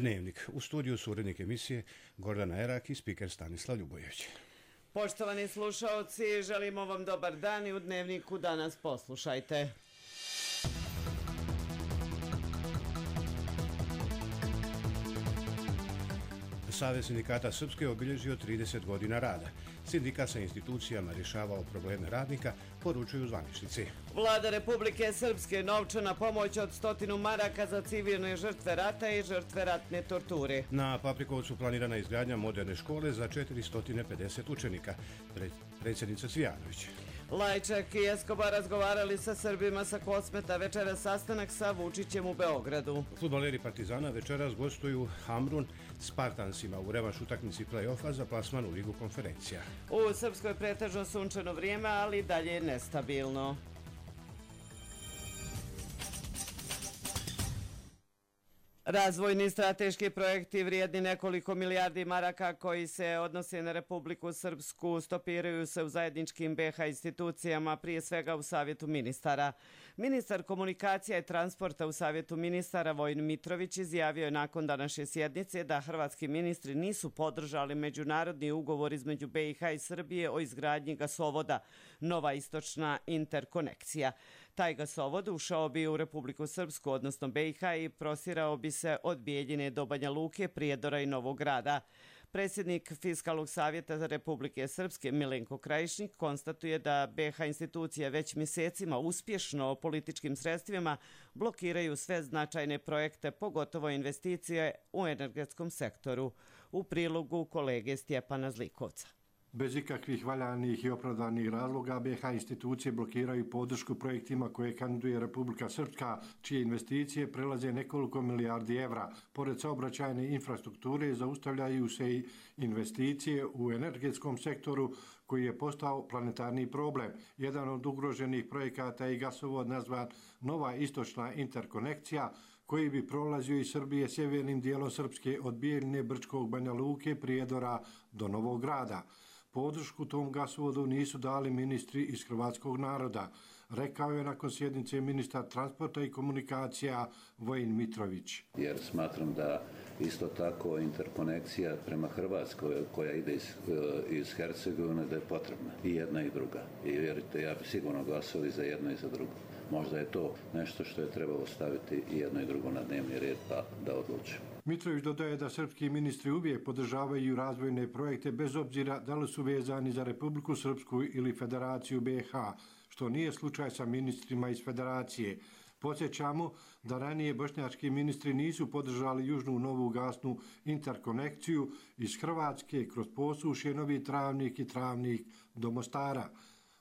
Dnevnik. U studiju su urednik emisije Gordana Erak i spiker Stanislav Ljubojević. Poštovani slušaoci, želimo vam dobar dan i u Dnevniku danas poslušajte. Savez sindikata Srpske obilježio 30 godina rada. Sindikat sa institucijama rješavao probleme radnika, poručuju zvaničnici. Vlada Republike Srpske novčana pomoć od 100 maraka za civilne žrtve rata i žrtve ratne torture. Na Paprikovcu planirana izgradnja moderne škole za 450 učenika. Predsjednica Cvijanović. Lajčak i Escobar razgovarali sa Srbima sa Kosmeta, večeras sastanak sa Vučićem u Beogradu. Fudbaleri Partizana večeras gostuju Hamrun Spartansima u revanš utakmici play-offa za plasman u Ligu konferencija. U Srpskoj pretežno sunčano vrijeme, ali dalje nestabilno. Razvojni strateški projekti vrijedni nekoliko milijardi maraka koji se odnose na Republiku Srpsku stopiraju se u zajedničkim BiH institucijama, prije svega u Savjetu ministara. Ministar komunikacija i transporta u Savjetu ministara Vojin Mitrović izjavio je nakon današnje sjednice da hrvatski ministri nisu podržali međunarodni ugovor između BiH i Srbije o izgradnji gasovoda Nova istočna interkonekcija. Taj gasovod ušao bi u Republiku Srpsku, odnosno BiH, i prostirao bi se od Bijeljine do Banja Luke, Prijedora i Novog Grada. Predsjednik Fiskalnog savjeta Republike Srpske Milenko Krajišnik konstatuje da BiH institucije već mjesecima uspješno političkim sredstvima blokiraju sve značajne projekte, pogotovo investicije u energetskom sektoru. U prilogu kolege Stjepana Zlikovca. Bez ikakvih valjanih i opravdanih razloga BiH institucije blokiraju podršku projektima koje kandiduje Republika Srpska, čije investicije prelaze nekoliko milijardi evra. Pored saobraćajne infrastrukture zaustavljaju se i investicije u energetskom sektoru koji je postao planetarni problem. Jedan od ugroženih projekata je gasovod nazvan Nova istočna interkonekcija, koji bi prolazio iz Srbije sjevernim dijelom Srpske od Bijeljine, Brčkog, Banja Luke, Prijedora do Novog Grada. Podršku tom gasovodu nisu dali ministri iz hrvatskog naroda, rekao je nakon sjednice ministar transporta i komunikacija Vojin Mitrović. Jer smatram da isto tako interkonekcija prema Hrvatskoj koja ide iz Hercegovine da je potrebna i jedna i druga. I vjerujte, ja bi sigurno glasao i za jedno i za drugo. Možda je to nešto što je trebalo staviti i jedno i drugo na dnevni red pa da odlučimo. Mitrović dodaje da srpski ministri uvijek podržavaju razvojne projekte bez obzira da li su vezani za Republiku Srpsku ili Federaciju BiH, što nije slučaj sa ministrima iz Federacije. Podsjećamo da ranije bošnjački ministri nisu podržali južnu novu gasnu interkonekciju iz Hrvatske kroz Posušje, Novi Travnik i Travnik do Mostara.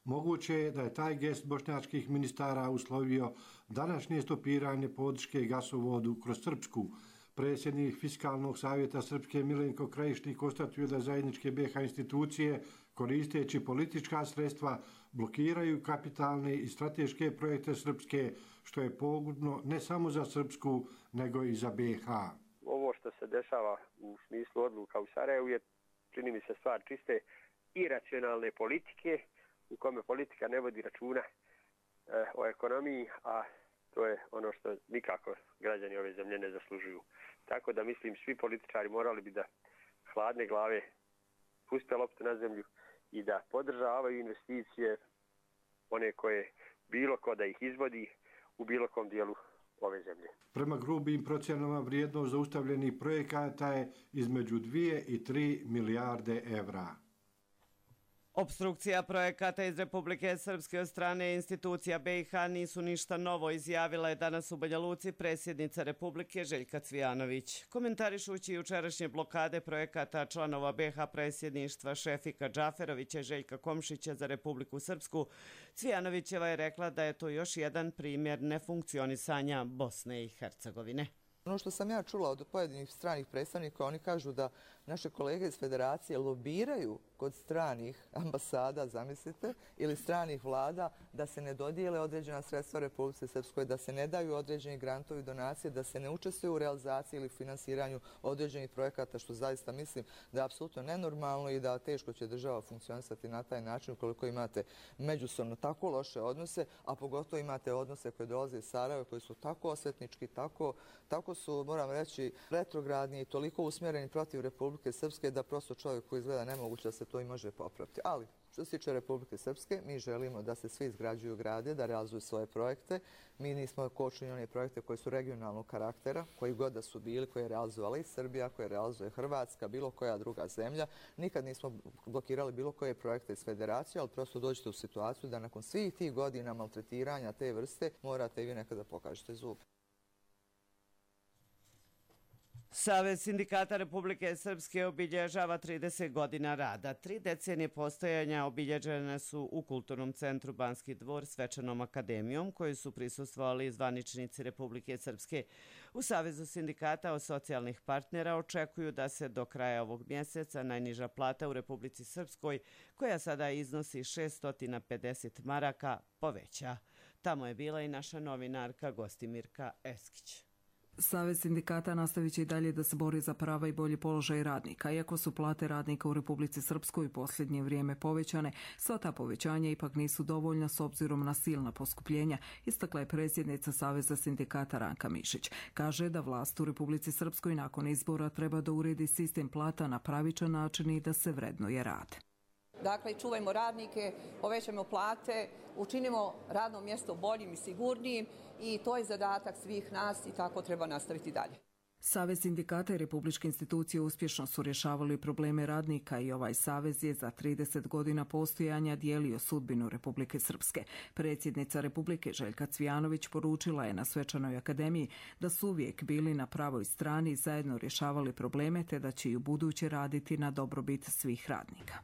Moguće je da je taj gest bošnjačkih ministara uslovio današnje stopiranje podrške gasovodu kroz Srpsku. Predsjednik Fiskalnog savjeta Srpske Milenko Krajišnik konstatuje da zajedničke BiH institucije, koristeći politička sredstva, blokiraju kapitalne i strateške projekte Srpske, što je pogubno ne samo za Srpsku, nego i za BiH. Ovo što se dešava u smislu odluka u Sarajevu je, čini mi se, stvar čiste iracionalne politike, u kome politika ne vodi računa o ekonomiji, a to je ono što nikako građani ove zemlje ne zaslužuju. Tako da mislim svi političari morali bi da hladne glave puste loptu na zemlju i da podržavaju investicije one koje bilo ko da ih izvodi u bilo kom dijelu ove zemlje. Prema grubim procjenama vrijednost zaustavljenih projekata je između 2 i 3 milijarde evra. Opstrukcija projekata iz Republike Srpske od strane institucija BiH nisu ništa novo, izjavila je danas u Banja Luci predsjednica Republike Željka Cvijanović. Komentarišući jučerašnje blokade projekata članova BiH predsjedništva Šefika Džaferovića i Željka Komšića za Republiku Srpsku, Cvijanovićeva je rekla da je to još jedan primjer nefunkcionisanja Bosne i Hercegovine. Ono što sam ja čula od pojedinih stranih predstavnika, oni kažu da naše kolege iz Federacije lobiraju kod stranih ambasada, zamislite, ili stranih vlada da se ne dodijele određena sredstva Republike Srpskoj, da se ne daju određeni grantovi i donacije, da se ne učestvuju u realizaciji ili finansiranju određenih projekata, što zaista mislim da je apsolutno nenormalno i da teško će država funkcionisati na taj način ukoliko imate međusobno tako loše odnose, a pogotovo imate odnose koje dolaze iz Sarajeva, koji su tako osvetnički, tako toliko su, moram reći, retrogradni i toliko usmjereni protiv Republike Srpske da prosto čovjeku izgleda nemoguće da se to i može popraviti. Ali, što se tiče Republike Srpske, mi želimo da se svi izgrađuju grade, da realizuju svoje projekte. Mi nismo kočili one projekte koji su regionalnog karaktera, koji god da su bili, koje je realizovala i Srbija, koje realizuje Hrvatska, bilo koja druga zemlja. Nikad nismo blokirali bilo koje projekte iz federacije, ali prosto dođete u situaciju da nakon svih tih godina maltretiranja te vrste morate i vi nekada pokažete zub. Savez sindikata Republike Srpske obilježava 30 godina rada. 3 decenije postojanja obilježene su u Kulturnom centru Banski dvor Svečanom akademijom, koju su prisustvovali zvaničnici Republike Srpske. U Savezu sindikata socijalnih partnera očekuju da se do kraja ovog mjeseca najniža plata u Republici Srpskoj, koja sada iznosi 650 maraka, poveća. Tamo je bila i naša novinarka Gostimirka Eskić. Savez sindikata nastavit će i dalje da se bori za prava i bolji položaj radnika. Iako su plate radnika u Republici Srpskoj u posljednje vrijeme povećane, sva ta povećanja ipak nisu dovoljna s obzirom na silna poskupljenja, istakla je predsjednica Saveza sindikata Ranka Mišić. Kaže da vlast u Republici Srpskoj nakon izbora treba da uredi sistem plata na pravičan način i da se vrednuje rad. Dakle, čuvajmo radnike, povećajmo plate, učinimo radno mjesto boljim i sigurnijim i to je zadatak svih nas i tako treba nastaviti dalje. Savez sindikata i republičke institucije uspješno su rješavali probleme radnika i ovaj savez je za 30 godina postojanja dijelio sudbinu Republike Srpske. Predsjednica Republike Željka Cvijanović poručila je na Svečanoj akademiji da su uvijek bili na pravoj strani i zajedno rješavali probleme te da će i u buduće raditi na dobrobit svih radnika.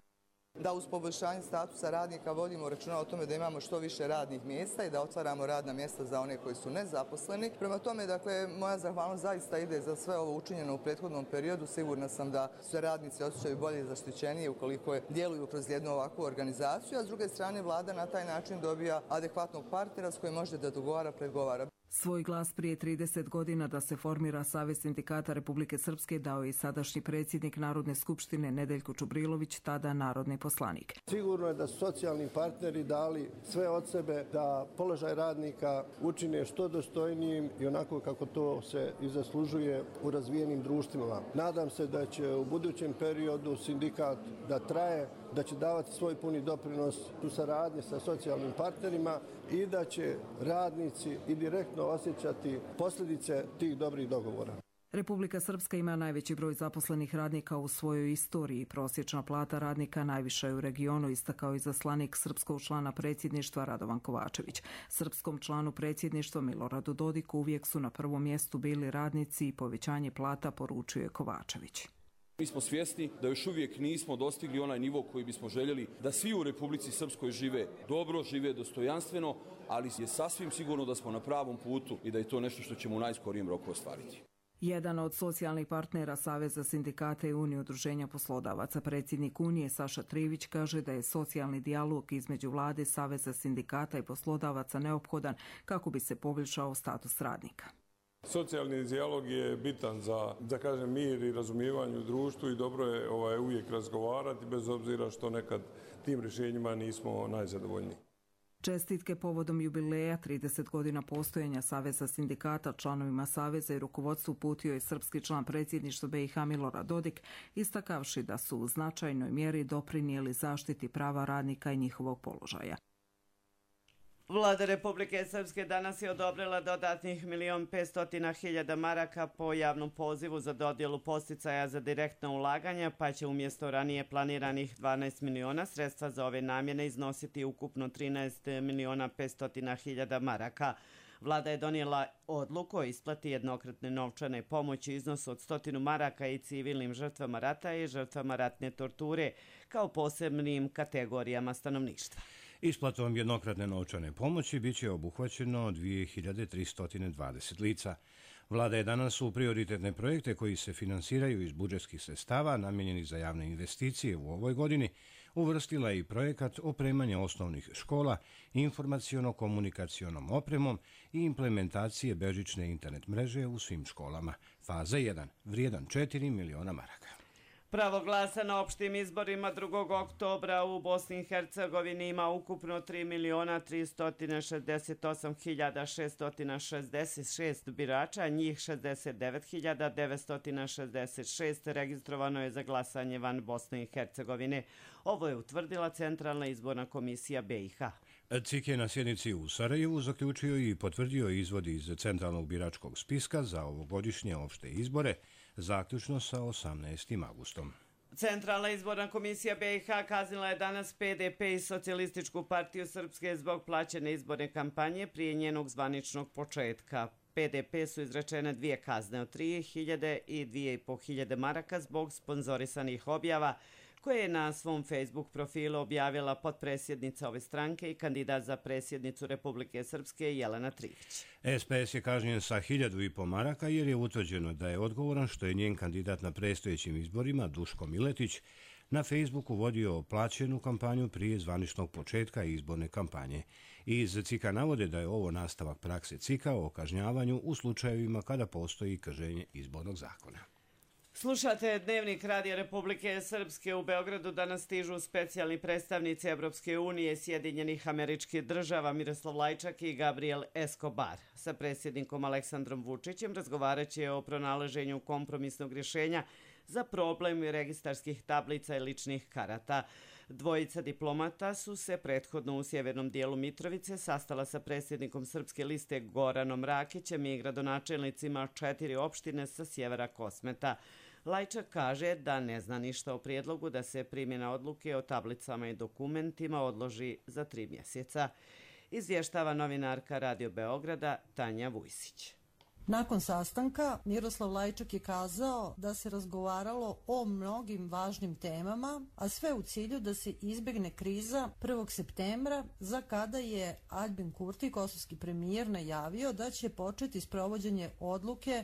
Da uz poboljšanje statusa radnika vodimo računa o tome da imamo što više radnih mjesta i da otvaramo radna mjesta za one koji su nezaposleni. Prema tome, dakle, moja zahvalnost zaista ide za sve ovo učinjeno u prethodnom periodu. Sigurna sam da se radnici osjećaju bolje i zaštićenije ukoliko djeluju kroz jednu ovakvu organizaciju, a s druge strane vlada na taj način dobija adekvatnog partnera s kojim može da dogovara, pregovara. Svoj glas prije 30 godina da se formira Savez sindikata Republike Srpske dao je i sadašnji predsjednik Narodne skupštine Nedeljko Čubrilović, tada narodni poslanik. Sigurno je da su socijalni partneri dali sve od sebe da položaj radnika učine što dostojnijim i onako kako to se i zaslužuje u razvijenim društvima. Nadam se da će u budućem periodu sindikat da traje, da će davati svoj puni doprinos u saradnji sa socijalnim partnerima i da će radnici i direktno osjećati posljedice tih dobrih dogovora. Republika Srpska ima najveći broj zaposlenih radnika u svojoj istoriji. Prosječna plata radnika najviša je u regionu, istakao izaslanik srpskog člana predsjedništva Radovan Kovačević. Srpskom članu predsjedništva Miloradu Dodiku uvijek su na prvom mjestu bili radnici i povećanje plata, poručuje Kovačević. Mi smo svjesni da još uvijek nismo dostigli onaj nivo koji bismo željeli da svi u Republici Srpskoj žive dobro, žive dostojanstveno, ali je sasvim sigurno da smo na pravom putu i da je to nešto što ćemo u najskorijem roku ostvariti. Jedan od socijalnih partnera Saveza sindikata i Unije udruženja poslodavaca, predsjednik Unije Saša Trivić, kaže da je socijalni dijalog između vlade, Saveza sindikata i poslodavaca neophodan kako bi se poboljšao status radnika. Socijalni dijalog je bitan za mir i razumijevanje u društvu i dobro je uvijek razgovarati bez obzira što nekad tim rješenjima nismo najzadovoljniji. Čestitke povodom jubileja 30 godina postojanja Saveza sindikata članovima Saveza i rukovodstvu uputio je srpski član predsjedništva BiH Milorad Dodik, istakavši da su u značajnoj mjeri doprinijeli zaštiti prava radnika i njihovog položaja. Vlada Republike Srpske danas je odobrila dodatnih 1.500.000 maraka po javnom pozivu za dodjelu podsticaja za direktna ulaganja, pa će umjesto ranije planiranih 12 miliona sredstva za ove namjene iznositi ukupno 13.500.000 maraka. Vlada je donijela odluku o isplati jednokratne novčane pomoći iznosu od 100 maraka i civilnim žrtvama rata i žrtvama ratne torture kao posebnim kategorijama stanovništva. Isplatom jednokratne novčane pomoći biće obuhvaćeno 2320 lica. Vlada je danas u prioritetne projekte koji se finansiraju iz budžetskih sredstava namijenjenih za javne investicije u ovoj godini uvrstila i projekat opremanja osnovnih škola informaciono-komunikacionom opremom i implementacije bežične internet mreže u svim školama. Faza 1, vrijedan 4 miliona maraka. Pravo glasa na opštim izborima 2. oktobra u Bosni i Hercegovini ima ukupno 3.338.666 birača, njih 69.966 registrovano je za glasanje van Bosne i Hercegovine. Ovo je utvrdila Centralna izborna komisija BiH. CIK je na sjednici u Sarajevu zaključio i potvrdio izvod iz Centralnog biračkog spiska za ovogodišnje opšte izbore, zaključno sa 18. augustom. Centralna izborna komisija BiH kaznila je danas PDP i Socijalističku partiju Srpske zbog plaćene izborne kampanje prije njenog zvaničnog početka. PDP su izrečene 2 kazne od 3.000 i 2.500 maraka zbog sponzorisanih objava koje je na svom Facebook profilu objavila potpredsjednica ove stranke i kandidat za predsjednicu Republike Srpske Jelena Trivić. SPS je kažnjen sa 1.500 maraka jer je utvrđeno da je odgovoran što je njen kandidat na predstojećim izborima, Duško Miletić, na Facebooku vodio plaćenu kampanju prije zvaničnog početka izborne kampanje. Iz CIK-a navode da je ovo nastavak prakse CIK-a o kažnjavanju u slučajevima kada postoji kršenje izbornog zakona. Slušate Dnevnik Radija Republike Srpske. U Beogradu danas stižu specijalni predstavnici Evropske unije, Sjedinjenih Američkih Država Miroslav Lajčak i Gabriel Escobar. Sa predsjednikom Aleksandrom Vučićem razgovarat će o pronalaženju kompromisnog rješenja za problem registarskih tablica i ličnih karata. Dvojica diplomata su se prethodno u sjevernom dijelu Mitrovice sastala sa predsjednikom Srpske liste Goranom Rakićem i gradonačelnicima 4 opštine sa sjevera Kosmeta. Lajčak kaže da ne zna ništa o prijedlogu da se primjena odluke o tablicama i dokumentima odloži za 3 mjeseca. Izvještava novinarka Radio Beograda Tanja Vujsić. Nakon sastanka, Miroslav Lajčak je kazao da se razgovaralo o mnogim važnim temama, a sve u cilju da se izbjegne kriza 1. septembra, za kada je Aljbin Kurti, kosovski premijer, najavio da će početi sprovođenje odluke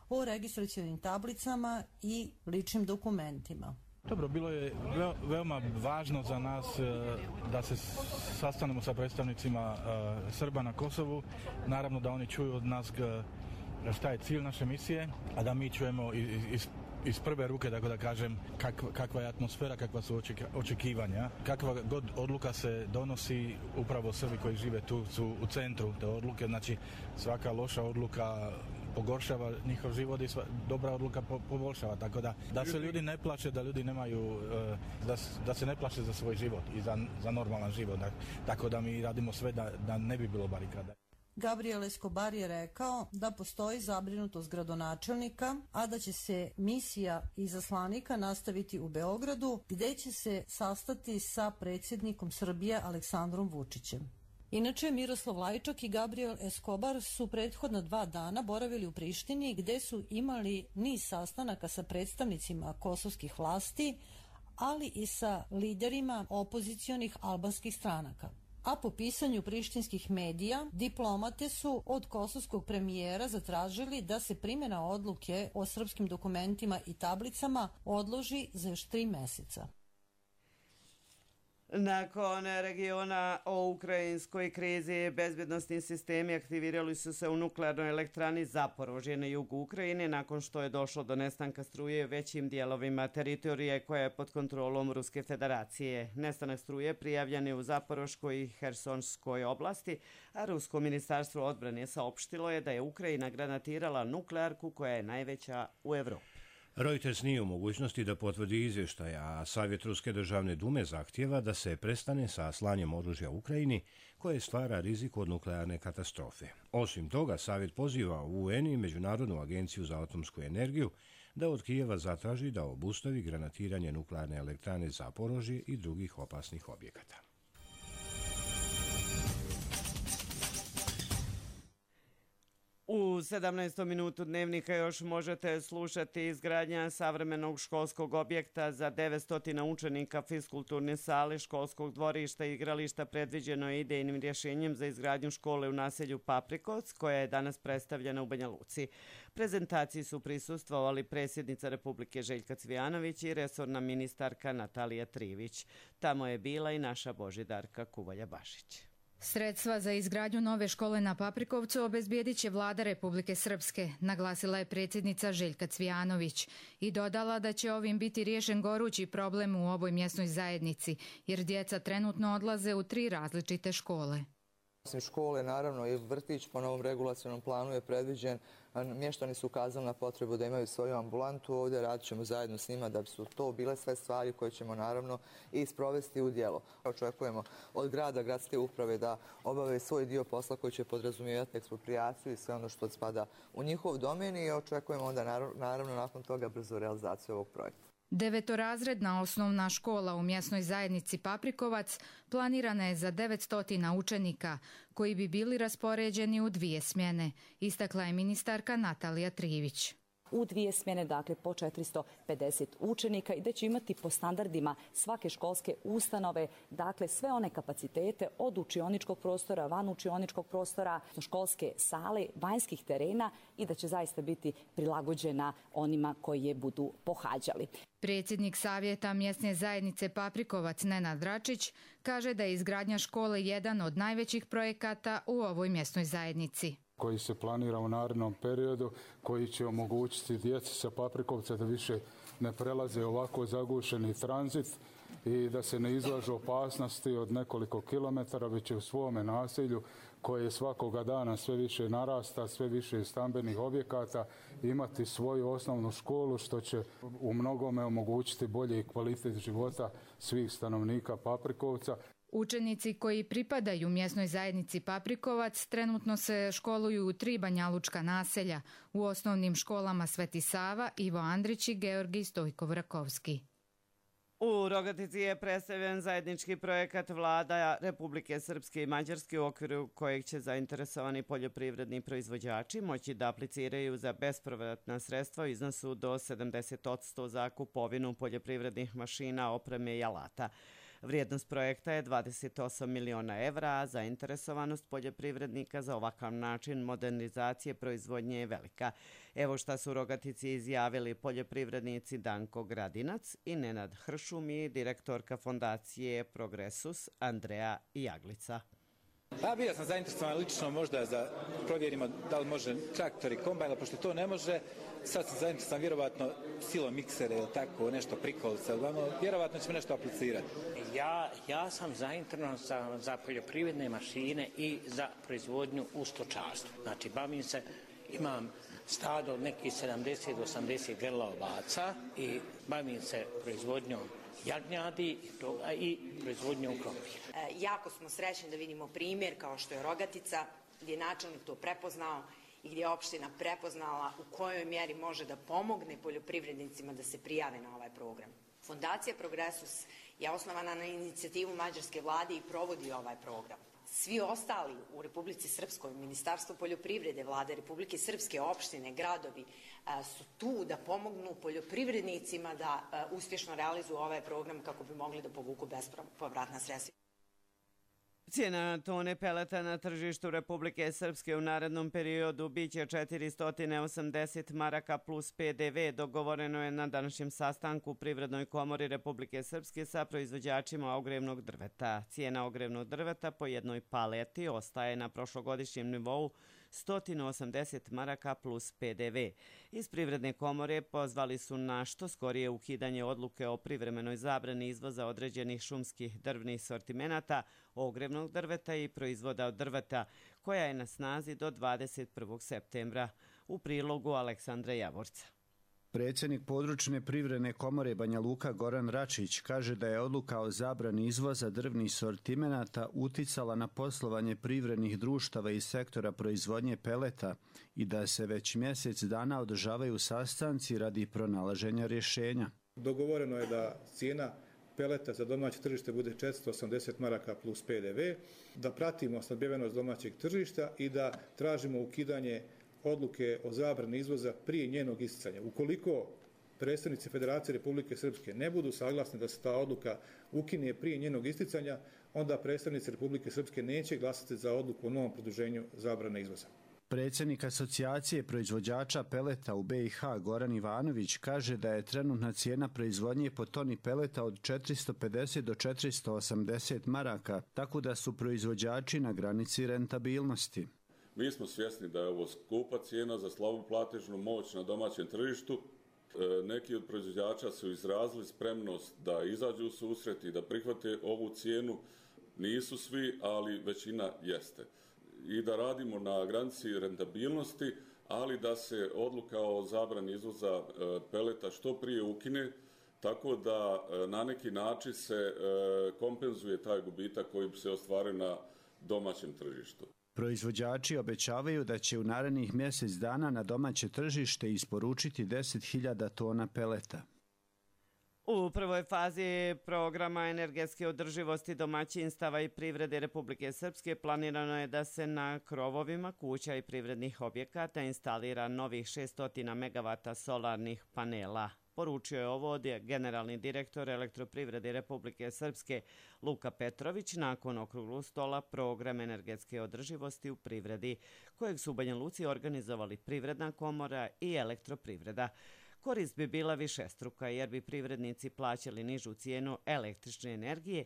o registracionim tablicama i ličnim dokumentima. Dobro, bilo je veoma važno za nas da se sastanemo sa predstavnicima Srba na Kosovu. Naravno da oni čuju od nas šta je cilj naše misije, a da mi čujemo iz prve ruke, tako da kažem, kakva je atmosfera, kakva su očekivanja. Kakva god odluka se donosi, upravo Srbi koji žive tu su u centru te odluke, znači svaka loša odluka pogoršava njihov život i dobra odluka poboljšava, tako da se ljudi ne plaše, da ljudi nemaju, da se ne plaše za svoj život i za normalan život, tako da mi radimo sve da ne bi bilo barikada. Gabriel Escobar je rekao da postoji zabrinutost gradonačelnika, a da će se misija izaslanika nastaviti u Beogradu, gdje će se sastati sa predsjednikom Srbije Aleksandrom Vučićem. Inače, Miroslav Lajčak i Gabriel Escobar su prethodna 2 dana boravili u Prištini, gdje su imali niz sastanaka sa predstavnicima kosovskih vlasti, ali i sa liderima opozicionih albanskih stranaka. A po pisanju prištinskih medija, diplomate su od kosovskog premijera zatražili da se primjena odluke o srpskim dokumentima i tablicama odloži za još 3 mjeseca. Nakon regiona o ukrajinskoj krizi, bezbjednostni sistemi aktivirali su se u nuklearnoj elektrani Zaporožje na jugu Ukrajine nakon što je došlo do nestanka struje većim dijelovima teritorije koja je pod kontrolom Ruske federacije. Nestanak struje prijavljen je u Zaporoškoj i Hersonskoj oblasti, a Rusko ministarstvo odbrane saopštilo je da je Ukrajina granatirala nuklearku koja je najveća u Evropi. Reuters nije u mogućnosti da potvrdi izvještaj, a Savjet Ruske državne dume zahtjeva da se prestane sa slanjem oružja Ukrajini koje stvara rizik od nuklearne katastrofe. Osim toga, Savjet poziva UN i Međunarodnu agenciju za atomsku energiju da od Kijeva zatraži da obustavi granatiranje nuklearne elektrane Zaporožje i drugih opasnih objekata. U 17. minutu Dnevnika još možete slušati izgradnja savremenog školskog objekta za 900 učenika, fiskulturne sale, školskog dvorišta i igrališta predviđeno je idejnim rješenjem za izgradnju škole u naselju Paprikovac, koja je danas predstavljena u Banja Luci. Prezentaciji su prisustvovali predsjednica Republike Željka Cvijanović i resorna ministarka Natalija Trivić. Tamo je bila i naša Božidarka Kuvalja Bašić. Sredstva za izgradnju nove škole na Paprikovcu obezbijedit će vlada Republike Srpske, naglasila je predsjednica Željka Cvijanović i dodala da će ovim biti riješen gorući problem u ovoj mjesnoj zajednici, jer djeca trenutno odlaze u 3 različite škole. Osim škole, naravno, i vrtić po novom regulacionom planu je predviđen. Mještani su ukazali na potrebu da imaju svoju ambulantu. Ovdje radit ćemo zajedno s njima da su to bile sve stvari koje ćemo naravno i sprovesti u djelo. Očekujemo od grada, gradske uprave da obave svoj dio posla koji će podrazumijevati eksproprijaciju i sve ono što spada u njihov domen i očekujemo onda naravno nakon toga brzo realizaciju ovog projekta. 9-razredna osnovna škola u mjesnoj zajednici Paprikovac planirana je za 900 učenika koji bi bili raspoređeni u 2 smjene, istakla je ministarka Natalija Trivić. U 2 smjene, dakle po 450 učenika i da će imati po standardima svake školske ustanove, dakle sve one kapacitete od učioničkog prostora, van učioničkog prostora, školske sale, vanjskih terena i da će zaista biti prilagođena onima koji je budu pohađali. Predsjednik Savjeta mjesne zajednice Paprikovac Nenad Račić kaže da je izgradnja škole jedan od najvećih projekata u ovoj mjesnoj zajednici, koji se planira u narednom periodu, koji će omogućiti djeci sa Paprikovca da više ne prelaze ovako zagušeni tranzit i da se ne izlažu opasnosti od nekoliko kilometara, već će u svome naselju koje svakoga dana sve više narasta, sve više stambenih objekata, imati svoju osnovnu školu što će u mnogome omogućiti bolji kvalitet života svih stanovnika Paprikovca. Učenici koji pripadaju mjesnoj zajednici Paprikovac trenutno se školuju u 3 banjalučka naselja, u osnovnim školama Sveti Sava, Ivo Andrić i Georgij Stojkov-Rakovski. U Rogatici je predstavljen zajednički projekat vlada Republike Srpske i Mađarske u okviru kojeg će zainteresovani poljoprivredni proizvođači moći da apliciraju za bespovratna sredstva u iznosu do 70% za kupovinu poljoprivrednih mašina, opreme i alata. Vrijednost projekta je 28 miliona evra, a zainteresovanost poljoprivrednika za ovakav način modernizacije proizvodnje je velika. Evo šta su u Rogatici izjavili poljoprivrednici Danko Gradinac i Nenad Hršum i direktorka fondacije Progresus Andreja Jaglica. Bio sam zainteresovan lično možda da provjerimo da li može traktor i kombajn, pošto to ne može. Sad sam zainteresovan vjerovatno silom miksere ili tako nešto prikolice, vjerovatno ćemo nešto aplicirati. Ja sam zainteresovan za poljoprivredne mašine i za proizvodnju u stočarstvu. Znači, bavim se, imam stado od nekih 70 do 80 grla ovaca i bavim se proizvodnjom jagnjadi i proizvodnjom krompira. Jako smo srećni da vidimo primjer kao što je Rogatica, gdje je načelnik to prepoznao i gdje je opština prepoznala u kojoj mjeri može da pomogne poljoprivrednicima da se prijave na ovaj program. Fondacija Progresus je osnovana na inicijativu mađarske vlade i provodi ovaj program. Svi ostali u Republici Srpskoj, Ministarstvo poljoprivrede, vlade Republike Srpske, opštine, gradovi su tu da pomognu poljoprivrednicima da uspješno realizuju ovaj program kako bi mogli da povuku bespovratna sredstva. Cijena tone peleta na tržištu Republike Srpske u narednom periodu biće 480 maraka plus PDV. Dogovoreno je na današnjem sastanku u Privrednoj komori Republike Srpske sa proizvođačima ogrevnog drveta. Cijena ogrevnog drveta po jednoj paleti ostaje na prošlogodišnjem nivou 180 maraka plus PDV. Iz Privredne komore pozvali su na što skorije ukidanje odluke o privremenoj zabrani izvoza određenih šumskih drvnih sortimenata, ogrevnog drveta i proizvoda od drveta, koja je na snazi do 21. septembra. U prilogu Aleksandra Javorca. Predsjednik područne privredne komore Banja Luka Goran Račić kaže da je odluka o zabrani izvoza drvnih sortimenata uticala na poslovanje privrednih društava iz sektora proizvodnje peleta i da se već mjesec dana održavaju sastanci radi pronalaženja rješenja. Dogovoreno je da cijena peleta za domaće tržište bude 480 maraka plus PDV, da pratimo snabdevenost domaćeg tržišta i da tražimo ukidanje odluke o zabrani izvoza prije njenog isticanja. Ukoliko predstavnici Federacije Republike Srpske ne budu saglasni da se ta odluka ukine prije njenog isticanja, onda predstavnici Republike Srpske neće glasati za odluku o novom produženju zabrane izvoza. Predsjednik asocijacije proizvođača peleta u BiH Goran Ivanović kaže da je trenutna cijena proizvodnje po toni peleta od 450 do 480 maraka, tako da su proizvođači na granici rentabilnosti. Mi smo svjesni da je ovo skupa cijena za slabu platežnu moć na domaćem tržištu. Neki od proizvođača su izrazili spremnost da izađu u susret i da prihvate ovu cijenu. Nisu svi, ali većina jeste. I da radimo na granici rentabilnosti, ali da se odluka o zabrani izvoza peleta što prije ukine, tako da na neki način se kompenzuje taj gubitak koji bi se ostvario na domaćem tržištu. Proizvođači obećavaju da će u narednih mjesec dana na domaće tržište isporučiti 10.000 tona peleta. U prvoj fazi programa energetske održivosti domaćinstava i privrede Republike Srpske planirano je da se na krovovima kuća i privrednih objekata instalira novih 600 megavata solarnih panela. Poručio je ovo generalni direktor Elektroprivrede Republike Srpske Luka Petrović nakon okruglog stola program energetske održivosti u privredi, kojeg su u Banja Luci organizovali Privredna komora i Elektroprivreda. Korist bi bila višestruka jer bi privrednici plaćali nižu cijenu električne energije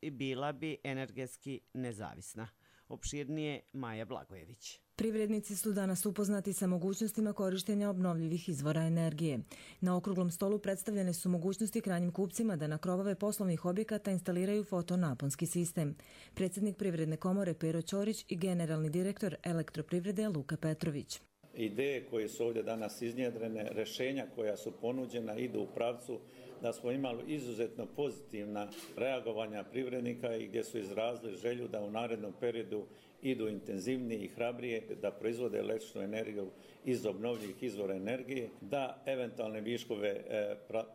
i bila bi energetski nezavisna. Opširnije Maja Blagojević. Privrednici su danas upoznati sa mogućnostima korištenja obnovljivih izvora energije. Na okruglom stolu predstavljene su mogućnosti krajnjim kupcima da na krovove poslovnih objekata instaliraju fotonaponski sistem. Predsjednik Privredne komore Pero Ćorić i generalni direktor Elektroprivrede Luka Petrović. Ideje koje su ovdje danas iznjedrene, rješenja koja su ponuđena idu u pravcu da smo imali izuzetno pozitivna reagovanja privrednika i gdje su izrazili želju da u narednom periodu idu intenzivnije i hrabrije, da proizvode električnu energiju iz obnovljivih izvora energije, da eventualne viškove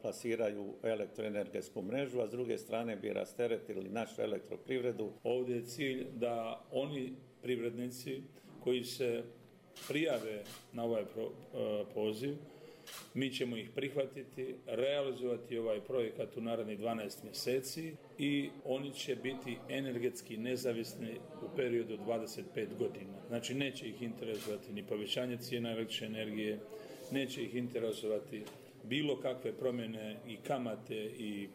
plasiraju u elektroenergetsku mrežu, a s druge strane bi rasteretili našu elektroprivredu. Ovdje je cilj da oni privrednici koji se prijave na ovaj poziv, mi ćemo ih prihvatiti, realizovati ovaj projekat u narednih 12 mjeseci i oni će biti energetski nezavisni u periodu 25 godina. Znači neće ih interesovati ni povećanje cijena električne energije, neće ih interesovati bilo kakve promjene i kamate i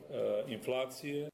inflacije.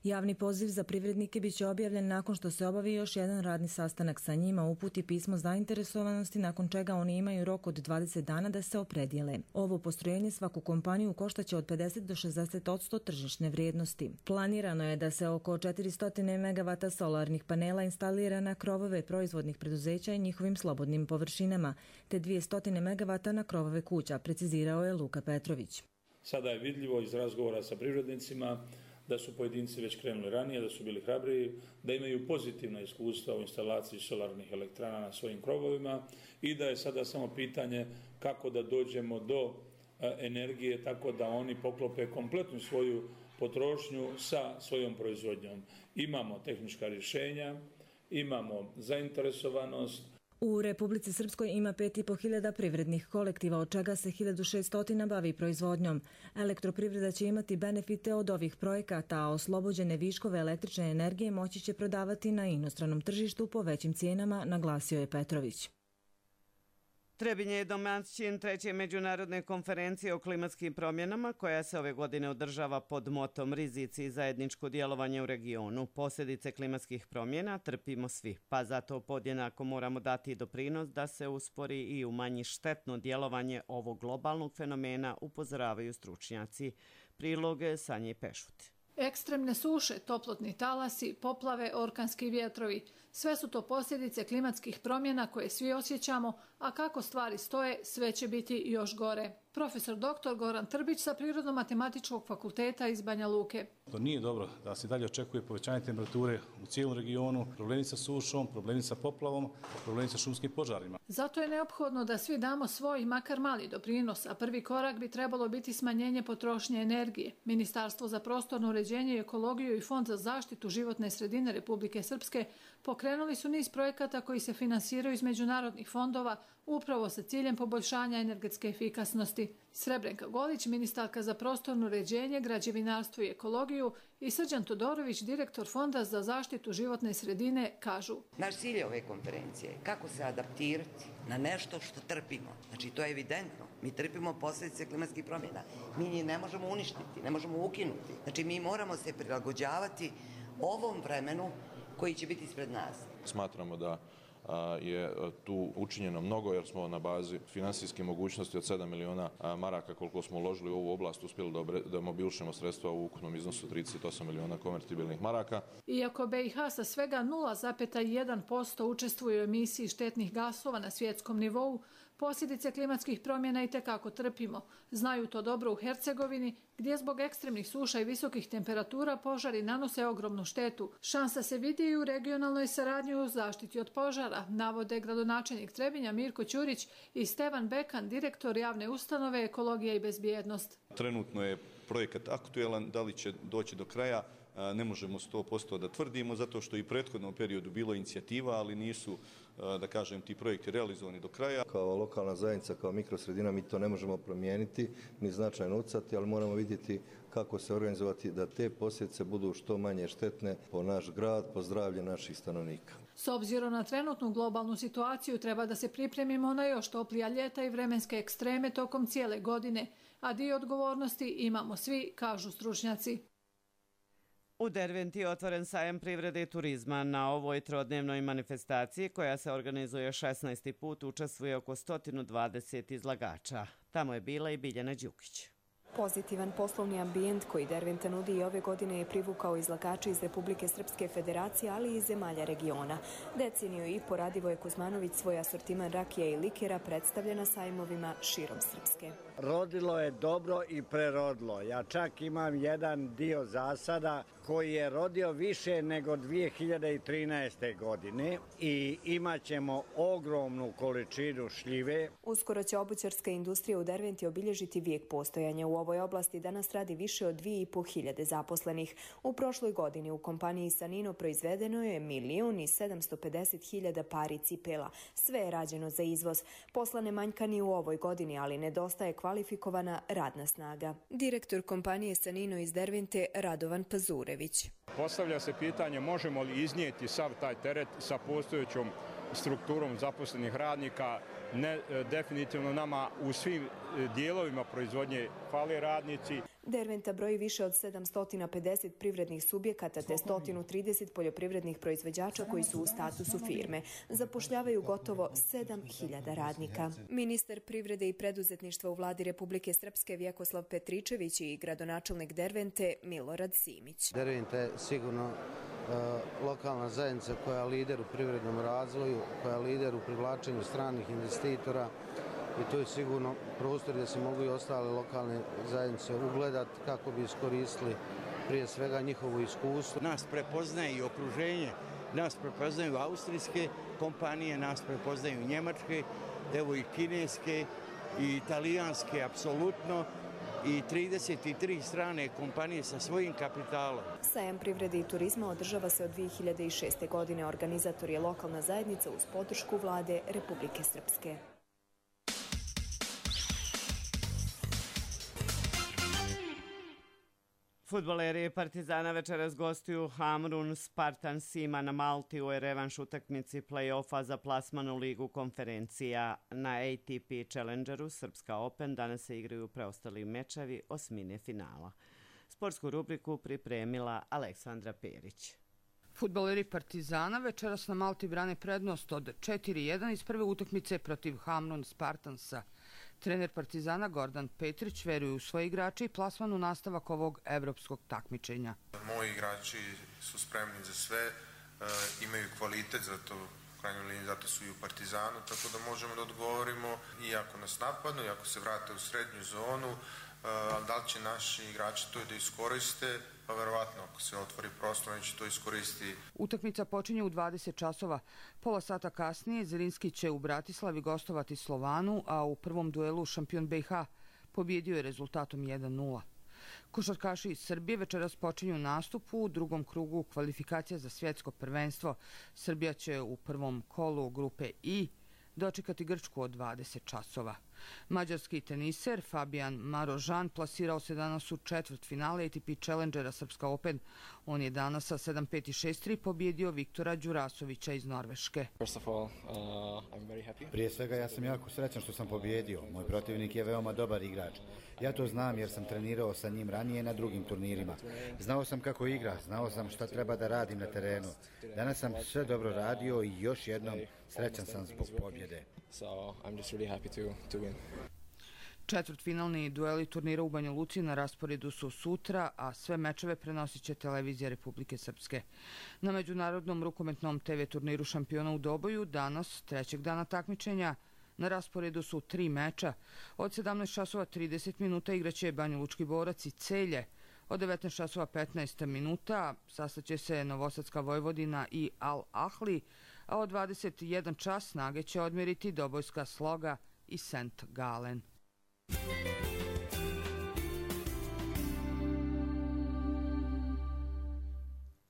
Javni poziv za privrednike biće objavljen nakon što se obavi još jedan radni sastanak sa njima, uputi pismo zainteresovanosti, nakon čega oni imaju rok od 20 dana da se opredijele. Ovo postrojenje svaku kompaniju koštaće od 50 do 60% tržišne vrijednosti. Planirano je da se oko 400 megavata solarnih panela instalira na krovove proizvodnih preduzeća i njihovim slobodnim površinama, te 200 megavata na krovove kuća, precizirao je Luka Petrović. Sada je vidljivo iz razgovora sa privrednicima da su pojedinci već krenuli ranije, da su bili hrabriji, da imaju pozitivna iskustva u instalaciji solarnih elektrana na svojim krovovima i da je sada samo pitanje kako da dođemo do energije tako da oni poklope kompletnu svoju potrošnju sa svojom proizvodnjom. Imamo tehnička rješenja, imamo zainteresovanost. U Republici Srpskoj ima 5.500 privrednih kolektiva, od čega se 1.600 bavi proizvodnjom. Elektroprivreda će imati benefite od ovih projekata, a oslobođene viškove električne energije moći će prodavati na inostranom tržištu po većim cijenama, naglasio je Petrović. Trebinje je domaćin treće međunarodne konferencije o klimatskim promjenama koja se ove godine održava pod motom rizici i zajedničko djelovanje u regionu. Posljedice klimatskih promjena trpimo svi, pa zato podjednako moramo dati doprinos da se uspori i umanji štetno djelovanje ovog globalnog fenomena, upozoravaju stručnjaci. Priloge Sanje Pešut. Ekstremne suše, toplotni talasi, poplave, orkanski vjetrovi. Sve su to posljedice klimatskih promjena koje svi osjećamo, a kako stvari stoje, sve će biti još gore. Profesor dr. Goran Trbić sa Prirodno-matematičkog fakulteta iz Banja Luke. To nije dobro da se dalje očekuje povećanje temperature u cijelom regionu, problemi sa sušom, problemi sa poplavom, problemi sa šumskim požarima. Zato je neophodno da svi damo svoj makar mali doprinos, a prvi korak bi trebalo biti smanjenje potrošnje energije. Ministarstvo za prostorno uređenje i ekologiju i Fond za zaštitu životne sredine Republike Srpske pokrenuli su niz projekata koji se finansiraju iz međunarodnih fondova upravo sa ciljem poboljšanja energetske efikasnosti. Srebrenka Golić, ministarka za prostorno uređenje, građevinarstvo i ekologiju, i Srđan Todorović, direktor Fonda za zaštitu životne sredine, kažu: Naš cilj je ove konferencije kako se adaptirati na nešto što trpimo. Znači, to je evidentno. Mi trpimo posljedice klimatskih promjena. Mi njih ne možemo uništiti, ne možemo ukinuti. Znači, mi moramo se prilagođavati ovom vremenu koji će biti ispred nas. Smatramo da je tu učinjeno mnogo jer smo na bazi finansijske mogućnosti od 7 miliona maraka koliko smo uložili u ovu oblast uspjeli da mobilišemo sredstva u ukupnom iznosu 38 miliona konvertibilnih maraka. Iako BiH sa svega 0,1% učestvuje u emisiji štetnih gasova na svjetskom nivou, posljedice klimatskih promjena itekako trpimo. Znaju to dobro u Hercegovini, gdje zbog ekstremnih suša i visokih temperatura požari nanose ogromnu štetu. Šansa se vidi i u regionalnoj saradnji u zaštiti od požara, navode gradonačelnik Trebinja Mirko Ćurić i Stevan Bekan, direktor javne ustanove Ekologija i bezbjednost. Trenutno je projekat aktuelan, da li će doći do kraja, ne možemo 100% da tvrdimo, zato što i u prethodnom periodu bilo inicijativa, ali nisu, da kažem, ti projekti realizovani do kraja. Kao lokalna zajednica, kao mikrosredina, mi to ne možemo promijeniti, ni značajno utjecati, ali moramo vidjeti kako se organizovati da te posljedice budu što manje štetne po naš grad, po zdravlje naših stanovnika. S obzirom na trenutnu globalnu situaciju treba da se pripremimo na još toplija ljeta i vremenske ekstreme tokom cijele godine, a dio odgovornosti imamo svi, kažu stručnjaci. U Derventi je otvoren sajam privrede i turizma. Na ovoj trodnevnoj manifestaciji, koja se organizuje 16. put, učestvuje oko 120 izlagača. Tamo je bila i Biljana Đukić. Pozitivan poslovni ambijent koji Derventa nudi i ove godine je privukao izlagače iz Republike Srpske federacije, ali i zemalja regiona. Deceniju i po Radivoje Kuzmanović svoj asortiman rakija i likera predstavlja na sajmovima širom Srpske. Rodilo je dobro i prerodilo. Ja čak imam jedan dio zasada koji je rodio više nego 2013. godine i imat ćemo ogromnu količinu šljive. Uskoro će obućarska industrija u Derventi obilježiti vijek postojanja. U ovoj oblasti danas radi više od 2.500 zaposlenih. U prošloj godini u kompaniji Sanino proizvedeno je 1.750.000 pari cipela. Sve je rađeno za izvoz. Posla ne manjka ni u ovoj godini, ali nedostaje kvalifikovana radna snaga. Direktor kompanije Sanino iz Dervente Radovan Pazurević. Postavlja se pitanje možemo li iznijeti sav taj teret sa postojećom strukturom zaposlenih radnika. Definitivno nama u svim dijelovima proizvodnje fale radnici. Derventa broji više od 750 privrednih subjekata te 130 poljoprivrednih proizvođača koji su u statusu firme. Zapošljavaju gotovo 7.000 radnika. Ministar privrede i preduzetništva u vladi Republike Srpske Vjekoslav Petričević i gradonačelnik Dervente Milorad Simić. Derventa je sigurno lokalna zajednica koja je lider u privrednom razvoju, koja je lider u privlačenju stranih investitora i to je sigurno prostor gdje se mogu i ostale lokalne zajednice ugledati kako bi iskoristili prije svega njihovo iskustvo. Nas prepoznaje i okruženje, nas prepoznaju austrijske kompanije, nas prepoznaju njemačke, evo i kineske i italijanske apsolutno. I 33 strane kompanije sa svojim kapitalom. Sajam privrede i turizma održava se od 2006. godine. Organizator je lokalna zajednica uz podršku vlade Republike Srpske. Fudbaleri Partizana večeras gostuju Hamrun Spartansima na Malti u revanš utakmici play-offa za plasman u ligu konferencija. Na ATP Challengeru Srpska Open danas se igraju preostali mečevi osmine finala. Sportsku rubriku pripremila Aleksandra Perić. Fudbaleri Partizana večeras na Malti brane prednost od 4-1 iz prve utakmice protiv Hamrun Spartansa. Trener Partizana Gordan Petrić veruje u svoje igrače i plasman u nastavak ovog evropskog takmičenja. Moji igrači su spremni za sve, imaju kvalitet, zato u krajnjoj liniji zato su i u Partizanu, tako da možemo da odgovorimo i ako nas napadnu, i ako se vrate u srednju zonu, da li će naši igrači to da iskoriste, pa verovatno ako se otvori prostor, oni će to iskoristiti. Utakmica počinje u 20 časova. Pola sata kasnije Zrinski će u Bratislavi gostovati Slovanu, a u prvom duelu šampion BiH pobjedio je rezultatom 1-0. Košarkaši iz Srbije večeras počinju nastup u drugom krugu kvalifikacija za svjetsko prvenstvo. Srbija će u prvom kolu grupe I dočekati Grčku od 20 časova. Mađarski teniser Fabian Marožan plasirao se danas u četvrtfinale ATP Challengera Srpska Open. On je danas sa 7-5 i 6-3 pobjedio Viktora Đurasovića iz Norveške. Prije svega ja sam jako srećan što sam pobjedio. Moj protivnik je veoma dobar igrač. Ja to znam jer sam trenirao sa njim ranije na drugim turnirima. Znao sam kako igra, znao sam šta treba da radim na terenu. Danas sam sve dobro radio i još jednom srećan sam zbog pobjede. Četvrtfinalni dueli turnira u Banja Luci na rasporedu su sutra, a sve mečeve prenosit će Televizija Republike Srpske. Na međunarodnom rukometnom TV turniru šampiona u Doboju danas, trećeg dana takmičenja, na rasporedu su 3 meča. Od 17 časova 30 minuta igraće Banja Lučki Borac i Celje. Od 19 časova 15 minuta sastaće se Novosadska Vojvodina i Al Ahli, a od 21 čas snage će odmjeriti Dobojska Sloga i St. Gallen.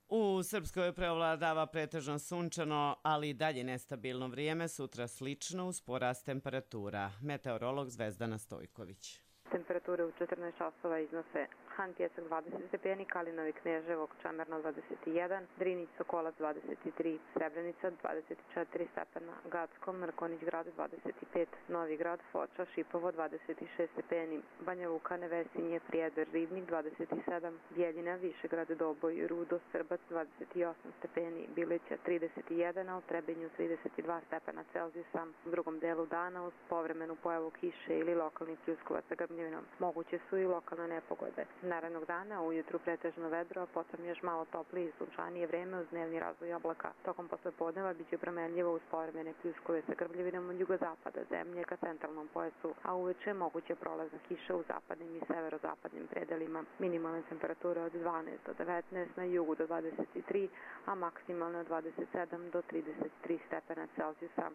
U Srpskoj preovladava pretežno sunčano, ali i dalje nestabilno vrijeme, sutra slično uz porast temperatura. Meteorolog Zvezdana Stojković. Temperature u 14 časova iznose Han Pjesak 20 stepeni, Kalinovi Kneževo, Čamerno 21, Drinić Sokolac 23, Srebrenica 24 stepena, Gacko, Mrkonić grad 25, Novi grad, Foča, Šipovo 26 stepeni, Banja Luka, Nevesinje, Prijedor, Ribnik 27, Bjeljina, Višegrad, Doboj, Rudo, Srbac 28 stepeni, Bilića 31, a u Trebinju 32 stepena Celzijusa. U drugom delu dana uz povremenu pojavu kiše ili lokalnih pljuskovaca grmljevinom moguće su i lokalne nepogode. Narednog dana ujutru pretežno vedro, a potom još malo toplije i sunčanije vreme uz dnevni razvoj oblaka. Tokom poslepodneva biće promenljivo uz povremene pljuskove sa grmljevinom od jugozapada zemlje ka centralnom pojasu, a uveče moguće prolazna kiša u zapadnim i severozapadnim predelima. Minimalne temperature od 12 do 19, na jugu do 23, a maksimalne od 27 do 33 stepena Celzijusa.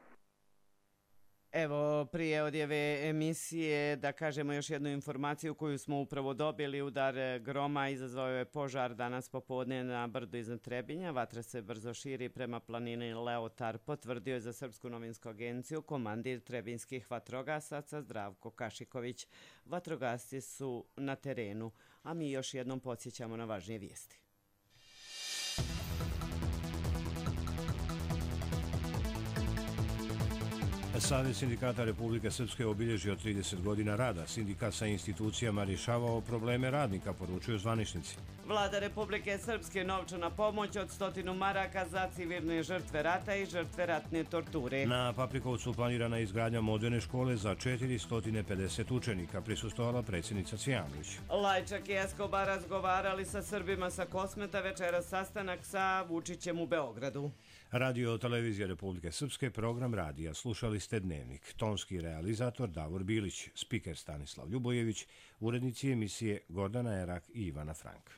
Evo, prije odjave emisije, da kažemo još jednu informaciju koju smo upravo dobili. Udar groma izazvao je požar danas popodne na brdu iznad Trebinja. Vatra se brzo širi prema planini Leotar, potvrdio je za Srpsku novinsku agenciju komandir trebinskih vatrogasaca Zdravko Kašiković. Vatrogasci su na terenu, a mi još jednom podsjećamo na važnije vijesti. Savez sindikata Republike Srpske obilježio 30 godina rada. Sindikat sa institucijama rješavao probleme radnika, poručuju zvaničnici. Vlada Republike Srpske novčana pomoć od 100 maraka za civilne žrtve rata i žrtve ratne torture. Na Paprikovcu planirana izgradnja moderne škole za 450 učenika, prisustvovala predsjednica Cvijanović. Lajčak i Escobar razgovarali sa Srbima sa Kosmeta, večeras sastanak sa Vučićem u Beogradu. Radio Televizija Republike Srpske, program radija. Slušali ste Dnevnik. Tonski realizator Davor Bilić, spiker Stanislav Ljubojević, urednici emisije Gordana Erak i Ivana Frank.